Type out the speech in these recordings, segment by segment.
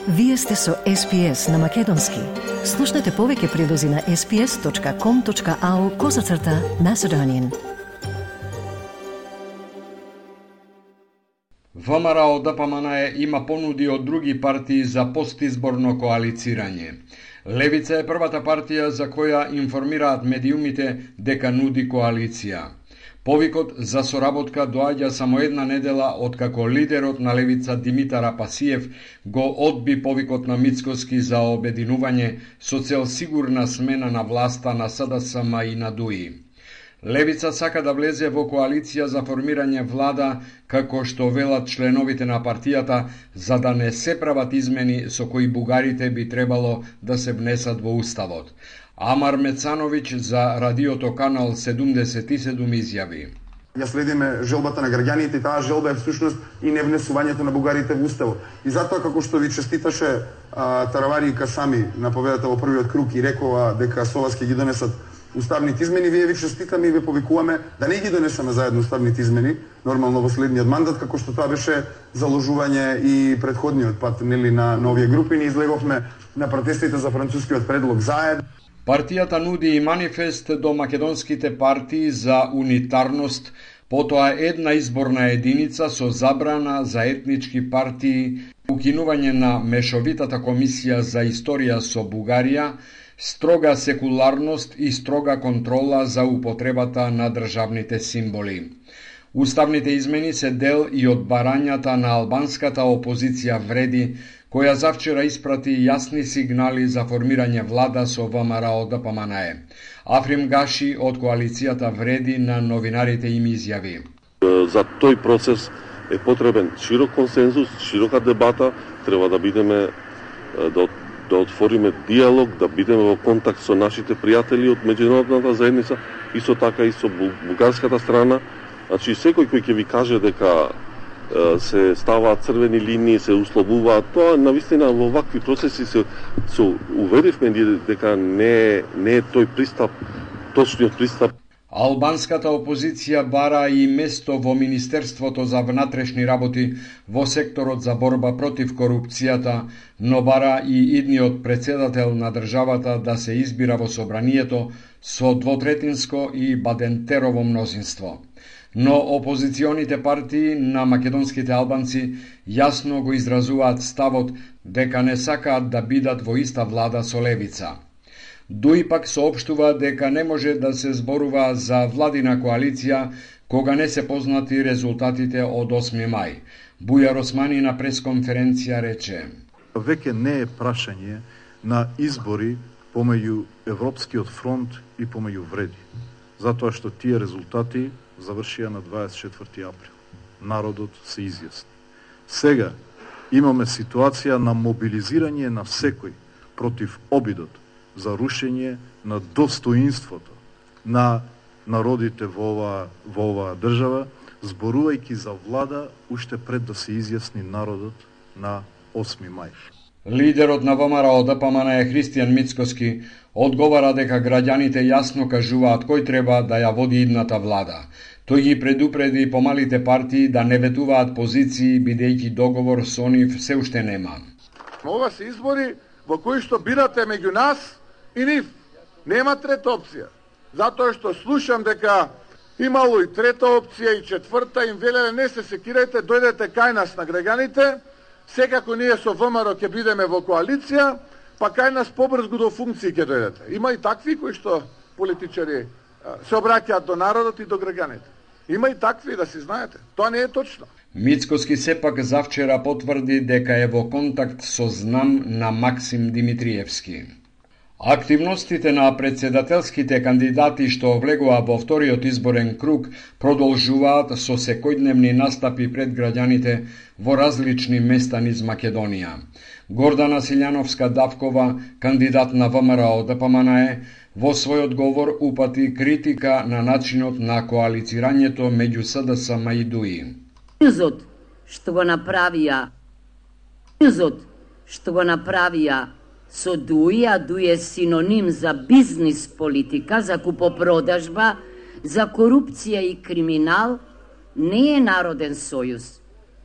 Вие сте со SPS на Македонски. Слушнете повеќе прилози на sps.com.au/Macedonian. ВМРО ДПМН има понуди од други партии за постизборно коалицирање. Левица е првата партија за која информираат медиумите дека нуди коалиција. Повикот за соработка доаѓа само една недела откако лидерот на Левица Димитар Апасиев го одби повикот на Мицкоски за обединување со цел сигурна смена на власта на СДСМ и на ДУИ. Левица сака да влезе во коалиција за формирање влада, како што велат членовите на партијата, за да не се прават измени со кои бугарите би требало да се внесат во уставот. Амар Мецановиќ за радиото Канал 77 изјави: Ја следиме желбата на граѓаните и таа желба е всушност и невнесувањето на бугарите во уставот. И затоа, како што ви честиташе Таравари и Касами на победата во првиот круг и рекова дека со вас ќе ги донесат уставните измени, вие ви честитаме и ве повикуваме да не ги донесеме заедно уставните измени, нормално во следниот мандат, како што тоа беше заложување и претходниот пат, нели, на овие групи. Ние излеговме на протестите за францускиот предлог заедно. Партијата нуди и манифест до македонските партии за унитарност, потоа една изборна единица со забрана за етнички партии, укинување на мешовитата комисија за историја со Бугарија, строга секуларност и строга контрола за употребата на државните символи. Уставните измени се дел и од барањата на албанската опозиција Вреди, која завчера испрати јасни сигнали за формирање влада со ВМРО ДПМН. Африм Гаши од коалицијата Вреди на новинарите им изјави: За тој процес е потребен широк консензус, широка дебата, треба да бидеме да отвориме диалог, да бидеме во контакт со нашите пријатели од меѓународната заедница, исто така и со бугарската страна. Значи, секој кој ќе ви каже дека се ставаат црвени линии, се условуваат, тоа навистина во вакви процеси се уверивме дека не е тој пристап, точниот пристап. Албанската опозиција бара и место во Министерството за внатрешни работи во секторот за борба против корупцијата, но бара и идниот председател на државата да се избира во собранието со двотретинско и бадентерово мнозинство. Но опозиционите партии на македонските албанци јасно го изразуваат ставот дека не сакаат да бидат во иста влада со Левица. ДУИ пак соопштува дека не може да се зборува за владина коалиција кога не се познати резултатите од 8 мај. Бујар Османи на пресконференција рече: Веќе не е прашање на избори помеѓу Европскиот фронт и помеѓу Вреди, затоа што тие резултати завршија на 24 април. Народот се изјасни. Сега имаме ситуација на мобилизирање на секој против обидот за рушење на достоинството на народите во оваа држава, зборувајќи за влада уште пред да се изјасни народот на 8 мај. Лидерот на ВМРО ДПМН Христијан Мицкоски одговара дека граѓаните јасно кажуваат кој треба да ја води идната влада. Тој ги предупреди помалите партии да не ветуваат позиции, бидејќи договор со нив се уште нема. Ова се избори во кои што бирате меѓу нас и нив. Нема трета опција. Затоа што слушам дека имало и трета опција и четврта, им велеле не се секирајте, дојдете кај нас на граѓаните, секако ние со ВМРО ќе бидеме во коалиција, па кај нас побрзго до функции ќе дојдете. Има и такви кои што политичари се обраќаат до народот и до граѓаните. Има и такви, да си знаете. Тоа не е точно. Мицкоски сепак завчера потврди дека е во контакт со знам на Максим Димитриевски. Активностите на председателските кандидати што влегува во вториот изборен круг продолжуваат со секојдневни настапи пред граѓаните во различни места низ Македонија. Гордана Силјановска-Давкова, кандидат на ВМРО ДПМН, во својот говор упати критика на начинот на коалицирањето меѓу СДСМ и ДУИ. Сојузот што го направија со ДУИ, а ДУИ е синоним за бизнис политика, за купопродажба, за корупција и криминал, не е народен сојуз,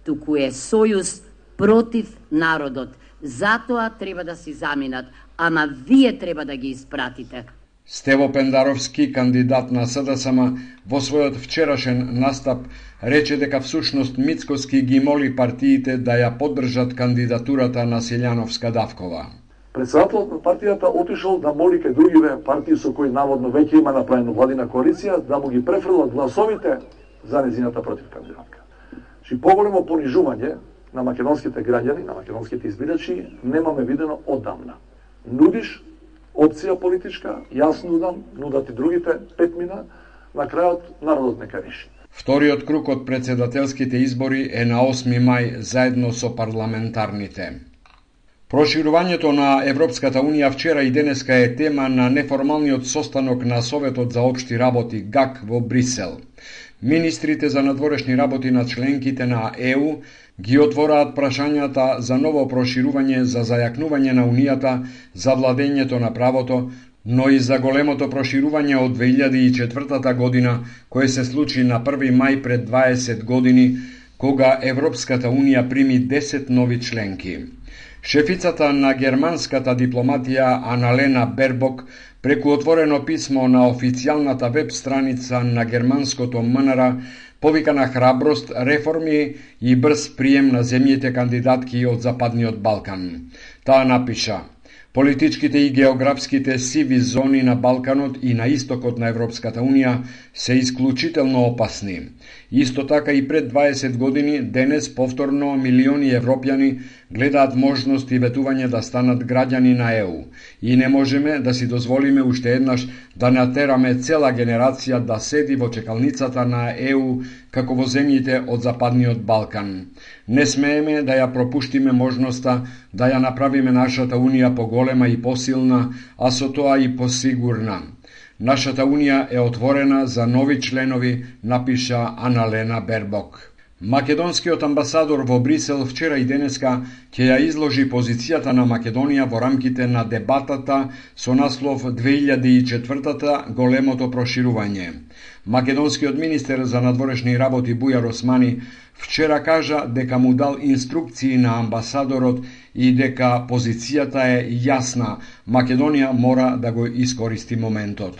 туку е сојуз против народот. Затоа треба да си заминат, ама вие треба да ги испратите. Стево Пендаровски, кандидат на СДСМ, во својот вчерашен настап рече дека всушност Мицкоски ги моли партиите да ја поддржат кандидатурата на Силјановска-Давкова. Председателот на партијата отишол да моли кај другиве партии со кои наводно веќе има направено владина коалиција да му ги префрлат гласовите за незината противкандидатка. Чи поголемо понижување на македонските граѓани, на македонските избирачи, немаме видено оддавна. Нудиш опција политичка, јас нудат и другите 5 мина, на крајот народот нека реши. Вториот круг од председателските избори е на 8 мај заедно со парламентарните. Проширувањето на Европската Унија вчера и денеска е тема на неформалниот состанок на Советот за општи работи ГАК во Брисел. Министрите за надворешни работи на членките на ЕУ ги отвораат прашањата за ново проширување за зајакнување на Унијата, за владењето на правото, но и за големото проширување од 2004 година, кое се случи на 1 мај пред 20 години, кога Европската Унија прими 10 нови членки. Шефицата на германската дипломатија Аналена Бербок преку отворено писмо на официјалната веб страница на германското МНР повика на храброст, реформи и брз прием на земјите кандидатки од Западниот Балкан. Таа напиша: политичките и географските сиви зони на Балканот и на истокот на Европската Унија се исклучително опасни. Исто така и пред 20 години, денес повторно милиони европјани гледаат можност и ветување да станат граѓани на ЕУ. И не можеме да си дозволиме уште еднаш да натераме цела генерација да седи во чекалницата на ЕУ како во земјите од Западниот Балкан. Не смееме да ја пропуштиме можноста да ја направиме нашата Унија поголема и посилна, а со тоа и посигурна. Нашата Унија е отворена за нови членови, напиша Аналена Бербок. Македонскиот амбасадор во Брисел вчера и денеска ќе ја изложи позицијата на Македонија во рамките на дебатата со наслов 2004-та големото проширување. Македонскиот министер за надворешни работи Бујар Османи вчера кажа дека му дал инструкции на амбасадорот и дека позицијата е јасна. Македонија мора да го искористи моментот.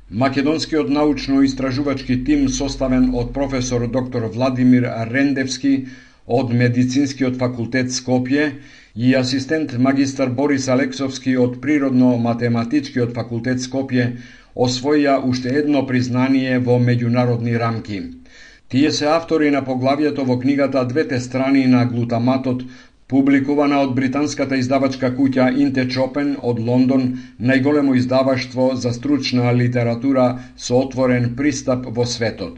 Македонскиот научно-истражувачки тим составен од професор доктор Владимир Рендевски од Медицинскиот факултет Скопје и асистент магистар Борис Алексовски од Природно-математичкиот факултет Скопје освоја уште едно признание во меѓународни рамки. Тие се автори на поглавието во книгата Двете страни на глутаматот, публикувана од британската издавачка куќа Интечопен од Лондон, најголемо издаваштво за стручна литература со отворен пристап во светот.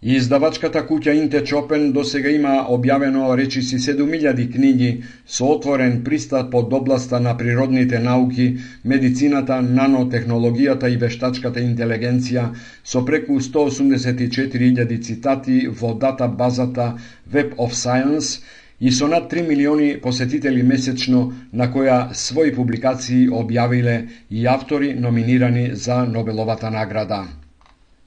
Издавачката куќа Интечопен досега има објавено речиси 7000 книги со отворен пристап од областа на природните науки, медицината, нанотехнологијата и вештачката интелигенција, со преку 184.000 цитати во датабазата Web of Science и со над 3 милиони посетители месечно, на која своји публикации објавиле и автори номинирани за Нобеловата награда.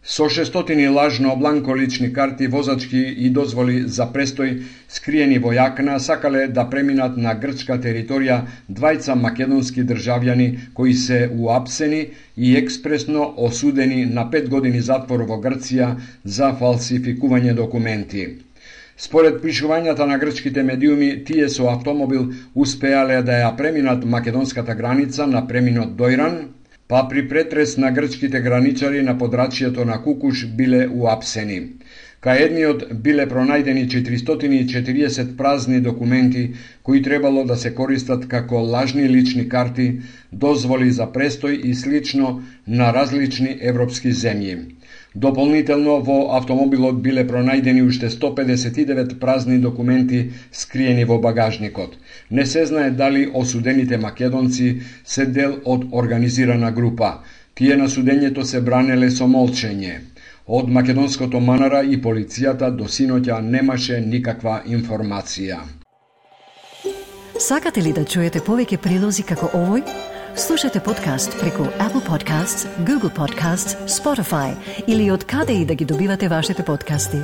Со 600 лажно бланко лични карти, возачки и дозволи за престој скриени во јакна, сакале да преминат на грчка територија двајца македонски државјани кои се уапсени и експресно осудени на 5 години затвор во Грција за фалсификување документи. Според пишувањата на грчките медиуми, тие со автомобил успеале да ја преминат македонската граница на преминот Дојран, па при претрес на грчките граничари на подрачјето на Кукуш биле уапсени. Кај едниот биле пронајдени 440 празни документи кои требало да се користат како лажни лични карти, дозволи за престој и слично на различни европски земји. Дополнително во автомобилот биле пронајдени уште 159 празни документи скриени во багажникот. Не се знае дали осудените македонци се дел од организирана група. Тие на судењето се бранеле со молчење. Од македонското МНР и полицијата до синоќа немаше никаква информација. Сакате ли да чуете повеќе прилози како овој? Слушате подкаст преку Apple Podcasts, Google Podcasts, Spotify или од каде и да ги добивате вашите подкасти.